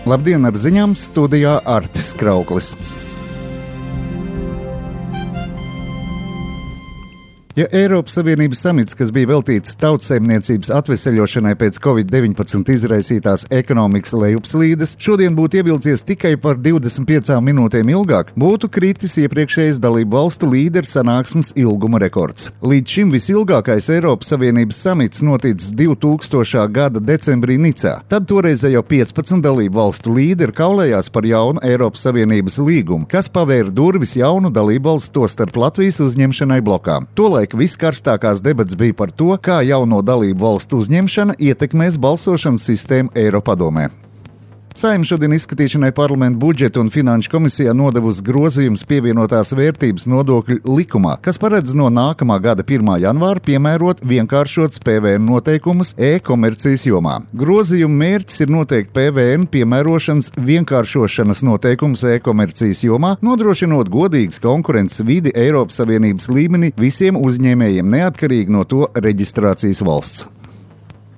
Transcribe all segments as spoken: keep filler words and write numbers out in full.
Labdien, ar ziņām studijā Artis Krauklis. Ja Eiropas Savienības samits, kas bija veltīts tautsaimniecības atveseļošanai pēc covid deviņpadsmit izraisītās ekonomikas lejupslīdes, šodien būtu ievilcies tikai par divdesmit piecām minūtēm ilgāk, būtu kritis iepriekšējais dalību valstu līderu sanāksmes ilguma rekords. Līdz šim visilgākais Eiropas Savienības samits noticis divtūkstošā gada decembrī Nicā. Tad toreizējo piecpadsmit dalību valstu līderi kaulējās par jaunu Eiropas Savienības līgumu, kas pavēra durvis jaunu dalību valstu, tostarp Latvijas uzņemšanai blokā. Tolaik viskarstākās debats bija par to, kā jauno dalību valstu uzņemšana ietekmēs balsošanas sistēmu Eiropadomē. Saeima šodien izskatīšanai Parlamenta budžeta un finanšu komisijā nodevusi grozījums pievienotās vērtības nodokļu likumā, kas paredz no nākamā gada pirmā janvāra piemērot vienkāršots P V N noteikumus e-komercijas jomā. Grozījuma mērķis ir noteikt P V N piemērošanas vienkāršošanas noteikumus e-komercijas jomā, nodrošinot godīgas konkurences vidi Eiropas Savienības līmenī visiem uzņēmējiem neatkarīgi no to reģistrācijas valsts.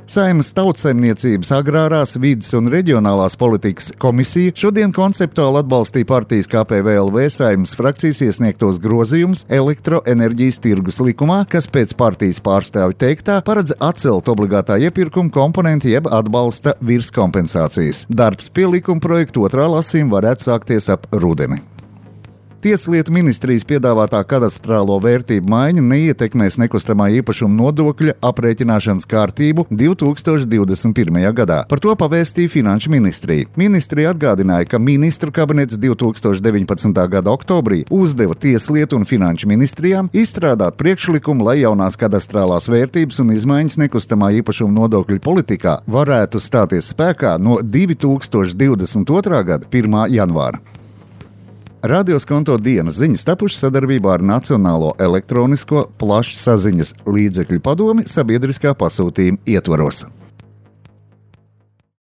Saeimas tautsaimniecības, agrārās, vides un reģionālās politikas komisija šodien konceptuāli atbalstīja partijas K P V L V Saeimas frakcijas iesniegtos grozījumus elektroenerģijas tirgus likumā, kas pēc partijas pārstāvju teiktā paredz atcelt obligātā iepirkuma komponenti jeb atbalsta virskompensācijas. Darbs pie likuma projekta otrā lasījuma varētu sākties ap rudeni. Tieslietu ministrijas piedāvātā kadastrālo vērtību maiņa neietekmēs nekustamā īpašuma nodokļa aprēķināšanas kārtību divtūkstoš divdesmit pirmajā gadā. Par to pavēstīja Finanšu ministrija. Ministrija atgādināja, ka ministru kabinets divtūkstoš deviņpadsmitā gada oktobrī uzdeva Tieslietu un Finanšu ministrijām izstrādāt priekšlikumu, lai jaunās kadastrālās vērtības un izmaiņas nekustamā īpašuma nodokļu politikā varētu stāties spēkā no divtūkstoš divdesmit otrā gada pirmā janvāra. Radioskonto dienas ziņas tapušas sadarbībā ar Nacionālo elektronisko plašsaziņas līdzekļu padomi sabiedriskā pasūtījuma ietvaros.